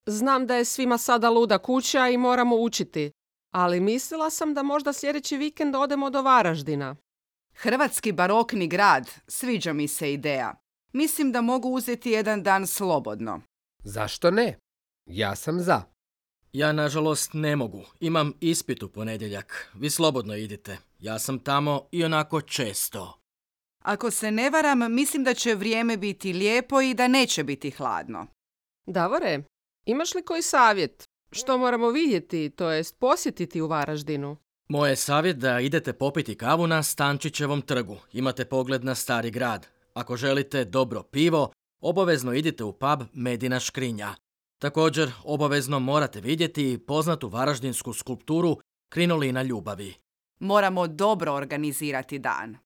Znam da je svima sada luda kuća i moramo učiti, ali mislila sam da možda sljedeći vikend odemo do Varaždina. Hrvatski barokni grad, sviđa mi se ideja. Mislim da mogu uzeti jedan dan slobodno. Zašto ne? Ja sam za. Ja, nažalost, ne mogu. Imam ispit u ponedjeljak. Vi slobodno idite. Ja sam tamo i onako često. Ako se ne varam, mislim da će vrijeme biti lijepo i da neće biti hladno. Davore, imaš li koji savjet? Što moramo vidjeti, to jest posjetiti u Varaždinu? Moj je savjet da idete popiti kavu na Stančićevom trgu. Imate pogled na stari grad. Ako želite dobro pivo, obavezno idite u pub Medina škrinja. Također, obavezno morate vidjeti poznatu varaždinsku skulpturu Krinolina ljubavi. Moramo dobro organizirati dan.